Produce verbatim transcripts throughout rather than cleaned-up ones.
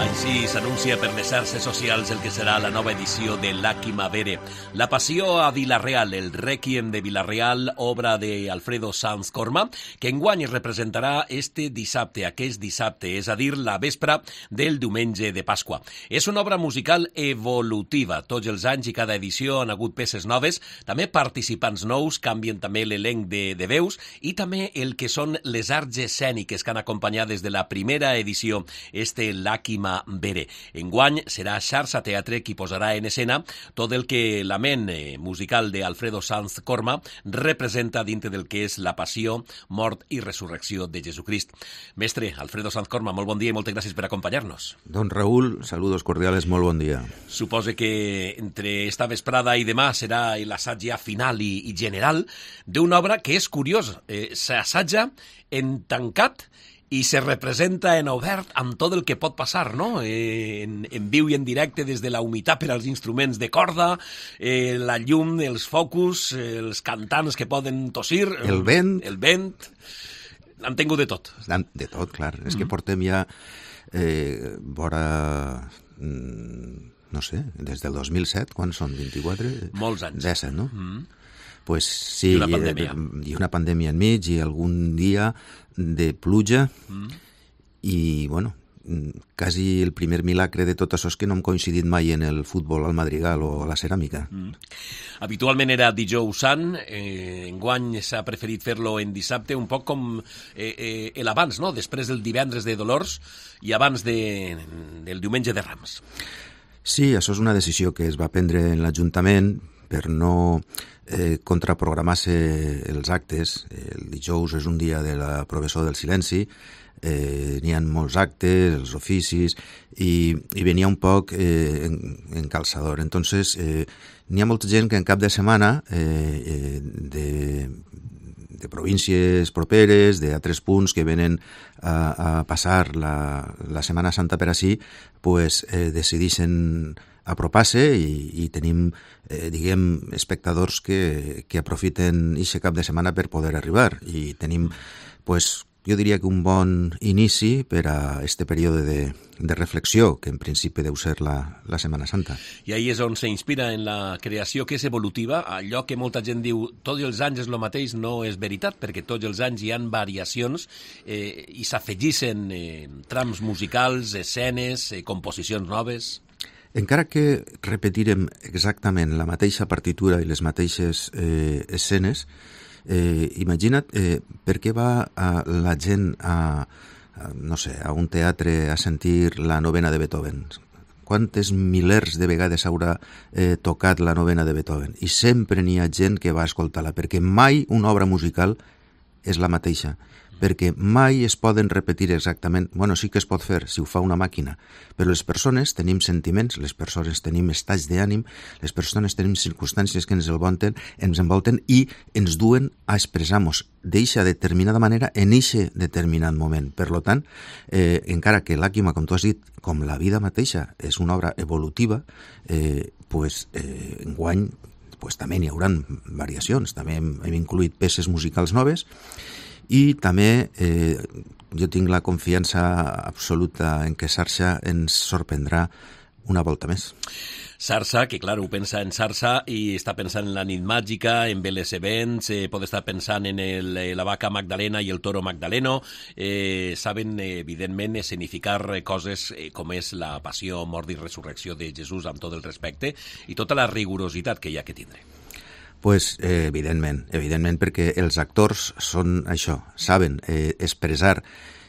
Així s'anuncia per les xarxes socials el que serà la nova edició de Làquima Vere. La passió a Vila-real, el Rèquiem de Vila-real, obra de Alfredo Sanz Corma, que enguany es representarà este dissabte, aquest dissabte, és a dir, la vespra del diumenge de Pasqua. És una obra musical evolutiva. Tots els anys i cada edició han hagut peces noves, també participants nous, canvien també l'elenc de, de veus i també el que són les arts escèniques que han acompanyat des de la primera edició este Làquima Vere. Enguany serà Xarxa Teatre qui posarà en escena tot el que la ment musical d'Alfredo Sanz Corma representa dintre del que és la passió, mort i resurrecció de Jesucrist. Mestre, Alfredo Sanz Corma, molt bon dia i moltes gràcies per acompanyar-nos. Don Raúl, saludos cordiales, molt bon dia. Supose que entre esta vesprada i demà serà l'assaig ja final i, i general d'una obra que és curiós, eh, s'assatja en tancat i se representa en obert amb tot el que pot passar, no? Eh, en, en viu i en directe des de la humitat per als instruments de corda, eh, la llum, els focus, eh, els cantants que poden tossir... El vent. El vent. Han tingut de tot. De tot, clar. Mm-hmm. És que portem ja eh, vora... no sé, des del dos mil set, quan són? vint-i-quatre? Molts anys. disset, no? Mm-hmm. Pues sí, I una pandèmia. I una pandèmia enmig i algun dia de pluja mm. i, bueno, quasi el primer milagre de tot això és que no hem coincidit mai en el futbol al Madrigal o a la ceràmica. Mm. Habitualment era dijous sant, eh, enguany s'ha preferit fer-lo en dissabte, un poc com eh, eh, l'abans, no? Després del divendres de Dolors i abans de, del diumenge de Rams. Sí, això és una decisió que es va prendre en l'Ajuntament per no eh, contraprogramar-se els actes. El dijous és un dia de la professó del silenci, eh, n'hi ha molts actes, els oficis, i, i venia un poc eh, en, en calçador. Entonces, eh, n'hi ha molta gent que en cap de setmana eh, eh, de, de províncies properes, d'altres punts que venen a, a passar la, la Setmana Santa per ací, pues, eh, decideixen apropar-se i, i tenim, eh, diguem, espectadors que, que aprofiten aquest cap de setmana per poder arribar. I tenim, pues, jo diria que un bon inici per a este període de, de reflexió, que en principi deu ser la, la Setmana Santa. I ahí és on s'inspira en la creació, que és evolutiva. Allò que molta gent diu, tots els anys és el mateix, no és veritat, perquè tots els anys hi ha variacions eh, i s'afegixen eh, trams musicals, escenes, eh, composicions noves... Encara que repetirem exactament la mateixa partitura i les mateixes eh, escenes, eh, imagina't eh, per què va a, la gent a, a, no sé, a un teatre a sentir la novena de Beethoven. Quantes milers de vegades haurà eh, tocat la novena de Beethoven? I sempre n'hi ha gent que va escoltar-la, perquè mai una obra musical és la mateixa, perquè mai es poden repetir exactament, bueno, sí que es pot fer si ho fa una màquina, però les persones tenim sentiments, les persones tenim estats d'ànim, les persones tenim circumstàncies que ens envolten, ens envolten i ens duen a expressar-nos d'eixa determinada manera en eixe determinat moment. Per tant, eh, encara que Làquima, com tu has dit, com la vida mateixa, és una obra evolutiva, eh, pues, eh, enguany pues, també n'hi haurà variacions, també hem, hem incluït peces musicals noves, i també eh, jo tinc la confiança absoluta en que Xarxa ens sorprendrà una volta més. Xarxa, que clar, ho pensa en Xarxa i està pensant en la nit màgica, en Veles Events, eh, pot estar pensant en el, la vaca Magdalena i el toro Magdaleno, eh, saben, eh, evidentment, escenificar coses eh, com és la passió, mort i resurrecció de Jesús amb tot el respecte i tota la rigorositat que hi ha que tindre. Pues, eh, evidentment, evidentment, perquè els actors són això, saben eh, expressar,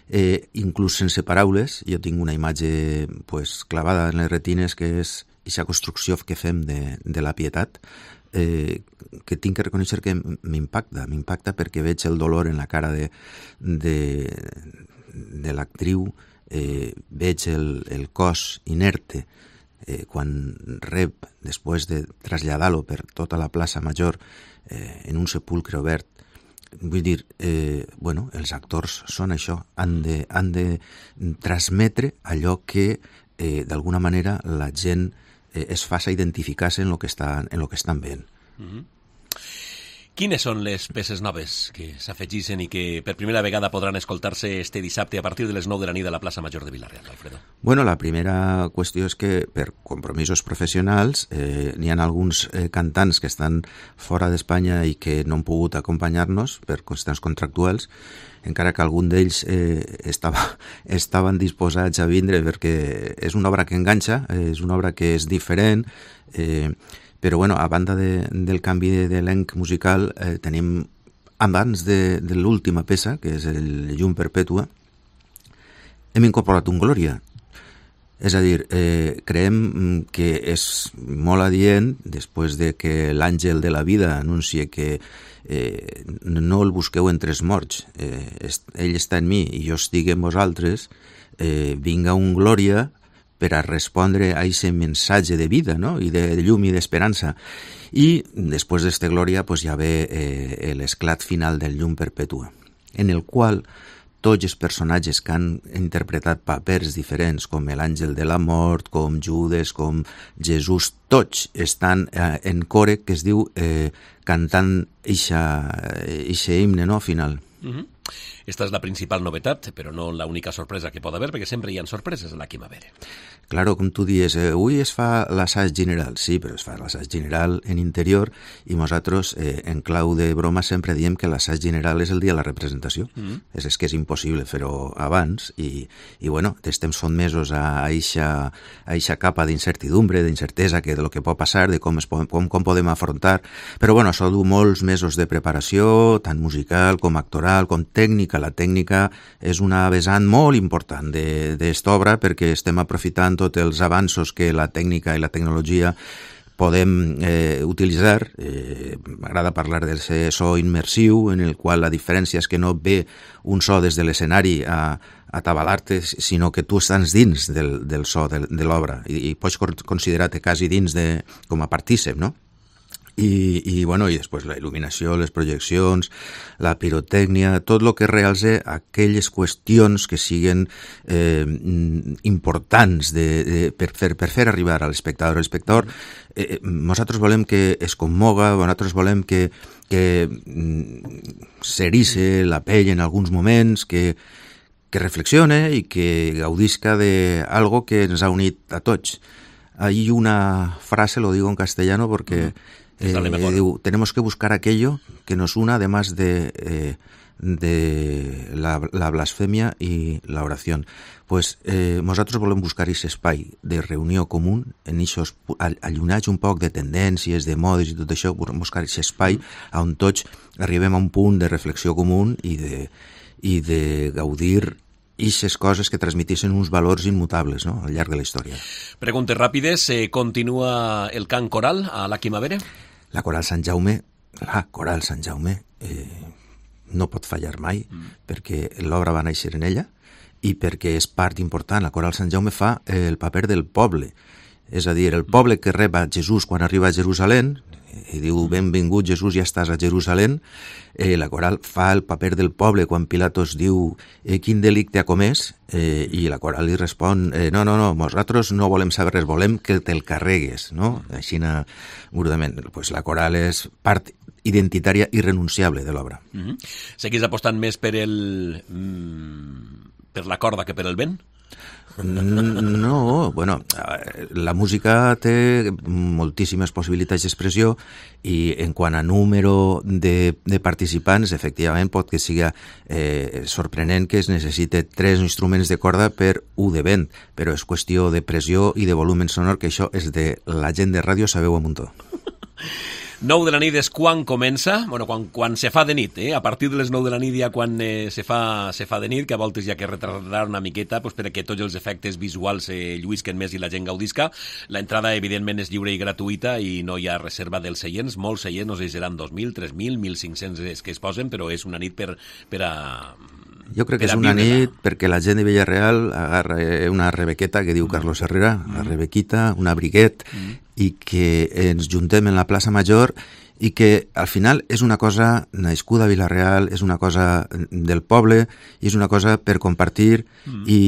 eh, inclús sense paraules. Jo tinc una imatge pues, clavada en les retines, que és aquesta construcció que fem de, de la pietat, eh, que tinc que reconèixer que m'impacta, m'impacta perquè veig el dolor en la cara de, de, de l'actriu, eh, veig el, el cos inerte, Eh, quan rep, després de traslladar-lo per tota la plaça Major eh, en un sepulcre obert. Vull dir, eh, bueno, els actors són això, han de, han de transmetre allò que eh, d'alguna manera la gent eh, es faça identificar-se en el que estan, en lo que estan veient. Mm-hmm. Quines són les peces noves que s'afegissin i que per primera vegada podran escoltar-se este dissabte a partir de les nou de la nit a la plaça Major de Vila-real, Alfredo? Bueno, la primera qüestió és que per compromisos professionals eh, n'hi ha alguns eh, cantants que estan fora d'Espanya i que no han pogut acompanyar-nos per qüestions contractuals, encara que algun d'ells eh, estava, estaven disposats a vindre perquè és una obra que enganxa, eh, és una obra que és diferent, eh, però bueno, a banda de, del canvi d'elenc musical eh, tenim, abans de, de l'última peça, que és el Llum Perpètua, hem incorporat un Glòria. És a dir, eh, creiem que és molt adient, després de que l'àngel de la vida anuncia que eh, no el busqueu entre els morts, eh, ell està en mi i jo estic en vosaltres, eh, vinga un Glòria per a respondre a aquest missatge de vida, no? I de llum i d'esperança. I després d'esta glòria pues, ja ve eh, l'esclat final del Llum Perpètua, en el qual tots els personatges que han interpretat papers diferents, com l'àngel de la mort, com Judes, com Jesús, tots estan eh, en core, que es diu eh, cantant eixe himne, no?, final. Uh-huh. Esta és la principal novetat, però no l'única sorpresa que pot haver, perquè sempre hi ha sorpreses a la Quima Vere. Claro, com tu dius, eh, avui es fa l'assaig general, sí, però es fa l'assaig general en interior i nosaltres, eh, en clau de broma, sempre diem que l'assaig general és el dia de la representació. Mm-hmm. És, és que és impossible fer-ho abans i, i bueno, estem sotmesos a eixa, a eixa capa d'incertidumbre, d'incertesa que de lo que pot passar, de com, es, com, com podem afrontar, però bueno, això du molts mesos de preparació, tant musical com actoral, com tècnica. La tècnica és una vessant molt important d'esta obra perquè estem aprofitant tots els avanços que la tècnica i la tecnologia podem eh, utilitzar. Eh, m'agrada parlar del so immersiu, en el qual la diferència és que no ve un so des de l'escenari a, a tabalar-te, sinó que tu estàs dins del, del so de, de l'obra i, i pots considerar-te quasi dins de, com a partícip, no? I, i, bueno, i després la il·luminació, les projeccions, la pirotècnia, tot el que realce aquelles qüestions que siguen eh, importants de, de, per, fer, per fer arribar a l'espectador. L'espectador, eh, nosaltres volem que es commoga, nosaltres volem que, que s'erice la pell en alguns moments, que, que reflexione i que gaudisca d'algo que ens ha unit a tots. Hay una frase, lo digo en castellano porque... Uh-huh. Eh, digo, tenemos que buscar aquello que nos una, además de, eh, de la, la blasfemia y la oración. Pues eh, nosaltres volem buscar aquest espai de reunió comú, en aquests allunats un poc de tendències, de modes i tot això, buscar aquest espai on tots arribem a un punt de reflexió comú i de, i de gaudir ixes coses que transmetissin uns valors immutables, no?, al llarg de la història. Preguntes ràpides. Eh, continua el cant coral a la Quima Vere? La Coral Sant Jaume, la Coral Sant Jaume eh, no pot fallar mai, mm. perquè l'obra va néixer en ella i perquè és part important. La Coral Sant Jaume fa eh, el paper del poble, és a dir, el poble que rep a Jesús quan arriba a Jerusalem i diu benvingut Jesús, ja estàs a Jerusalem. Eh, la Coral fa el paper del poble quan Pilatos diu eh, quin delicte ha comès, eh, i la Coral li respon eh, no, no, no, nosaltres no volem saber res, volem que te'l carregues, no? Així burdament. Pues la Coral és part identitària irrenunciable de l'obra. Mm-hmm. Seguís apostant més per el mm, per la corda que per el vent? No, bueno, la música té moltíssimes possibilitats d'expressió i en quant a número de, de participants, efectivament pot que siga eh, sorprenent que es necessite tres instruments de corda per un de vent, però és qüestió de pressió i de volumen sonor, que això és de la gent de ràdio, sabeu a muntó. nou de la nit és quan comença, bueno, quan, quan se fa de nit, eh? A partir de les nou de la nit ja quan eh, se, fa, se fa de nit, que a voltes hi ha que retardar una miqueta pues, perquè tots els efectes visuals eh, lluïsquen més i la gent gaudisca. L'entrada, evidentment, és lliure i gratuïta i no hi ha reserva dels seients. Molts seients, no sé si seran dos mil, tres mil, mil cinc-cents que es posen, però és una nit per, per a... Jo crec que és una nit perquè la gent de Villarreal agarra una rebequeta que diu Carlos Herrera, una rebequita, un abriguet, mm. i que ens juntem en la plaça Major i que al final és una cosa nascuda a Villarreal, és una cosa del poble i és una cosa per compartir mm. i,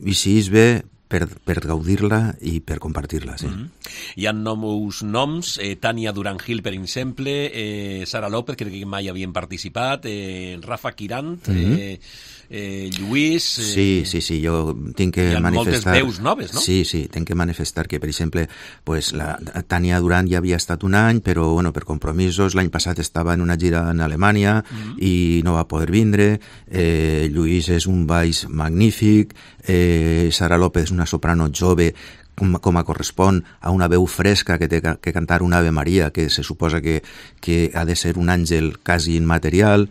i si és bé per, per gaudir-la i per compartir-la, sí. Mm-hmm. Hi ha nous noms, eh, Tania Durán-Gil, per exemple, eh, Sara López, crec que mai havien participat, eh, Rafa Quirant, mm-hmm. eh, eh, Lluís... Eh, sí, sí, sí, jo tinc que hi ha manifestar... moltes veus noves, no? Sí, sí, tinc que manifestar que, per exemple, pues, la Tania Durán ja havia estat un any, però bueno, per compromisos, l'any passat estava en una gira en Alemanya mm-hmm. i no va poder vindre, eh, Lluís és un baix magnífic, eh, Sara López és una soprano jove, com, com a correspon a una veu fresca que té que cantar una Ave Maria, que se suposa que, que ha de ser un àngel quasi immaterial.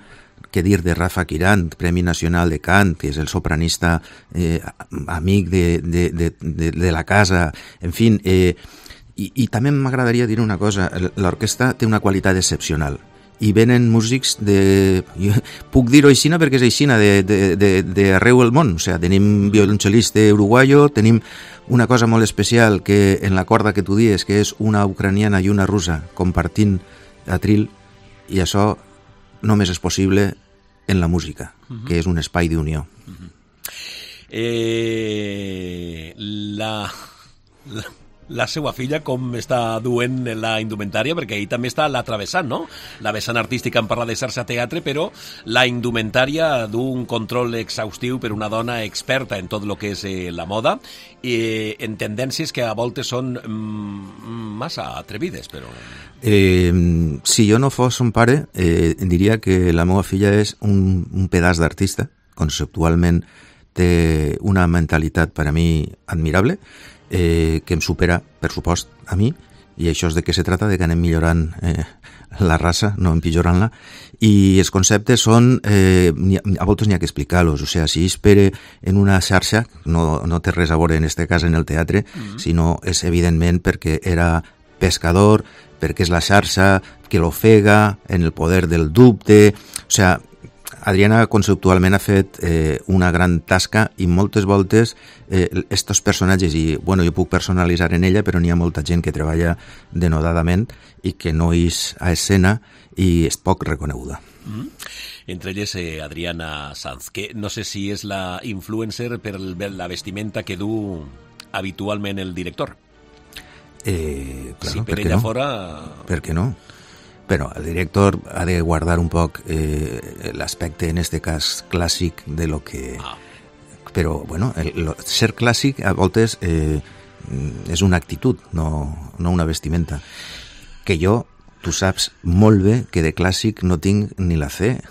Què dir de Rafa Quirant, Premi Nacional de Cant, que és el sopranista eh, amic de, de, de, de, de la casa, en fi, eh, i, i també m'agradaria dir una cosa, l'orquestra té una qualitat excepcional, i venen músics de... Jo puc dir-ho aixina perquè és aixina, d'arreu del món, o sigui, tenim violoncel·lista uruguayo, tenim una cosa molt especial que en la corda que tu dies, que és una ucraniana i una russa compartint atril, i això només és possible en la música, uh-huh. que és un espai d'unió. Uh-huh. eh, la, la, la seva filla com està duent la indumentària? Perquè ahir també està la travessant, no? La vessant artística en parla de xarxa teatre, però la indumentària du un control exhaustiu per una dona experta en tot el que és eh, la moda, i en tendències que a voltes són mm, massa atrevides, però... Eh, si jo no fos un pare, eh, diria que la meva filla és un, un pedaç d'artista, conceptualment té una mentalitat per a mi admirable, eh, que em supera, per supost, a mi, i això és de què se trata, de que anem millorant eh, la raça, no empitjorant-la, i els conceptes són, eh, a voltes n'hi ha que explicar-los, o sigui, si espere en una xarxa, no, no té res a veure en este cas en el teatre, mm-hmm. sinó és evidentment perquè era pescador, perquè és la xarxa que l'ofega en el poder del dubte, o sigui, Adriana conceptualment ha fet eh, una gran tasca i moltes voltes eh, estos personatges, i bueno, jo puc personalitzar en ella, però n'hi ha molta gent que treballa denodadament i que no és a escena i és poc reconeguda. Mm-hmm. Entre elles eh, Adriana Sanz, que no sé si és la influencer per la vestimenta que du habitualment el director. Eh, claro, si per per ella no? fora... Per què no? Però el director ha de guardar un poc eh, l'aspecte, en este cas, clàssic de lo que... Ah. Però, bueno, el, lo, ser clàssic a voltes eh, és una actitud, no, no una vestimenta. Que jo, tu saps molt bé que de clàssic no tinc ni la fe.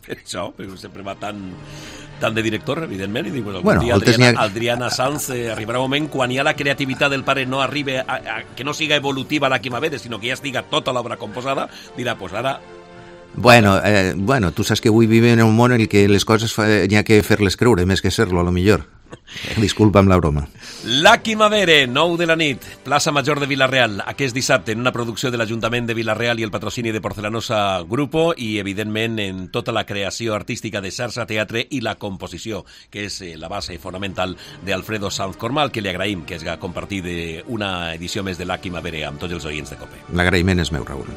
Per això, perquè sempre va tan, tan de director, evidentment, i dic, bueno, bueno, dia Adriana, ha... Adriana Sanz eh, arribarà un moment quan ja la creativitat del pare no arriba a, a, que no siga evolutiva la Quimavere, sinó que ja estiga tota l'obra composada, dirà, pues ara... Bueno, eh, bueno, tu saps que avui vivim en un món en el que les coses n'hi ha que fer-les creure, més que ser-lo, a lo millor. Disculpa'm la broma. La Quimavere, nou de la nit, plaça Major de Vila-real, aquest dissabte, en una producció de l'Ajuntament de Vila-real i el patrocini de Porcelanosa Grupo, i evidentment en tota la creació artística de xarxa teatre i la composició, que és eh, la base fonamental d'Alfredo Sanz Cormal, que li agraïm que hagi compartit una edició més de La Quimavere amb tots els oients de COPE. L'agraïment és meu, Raül.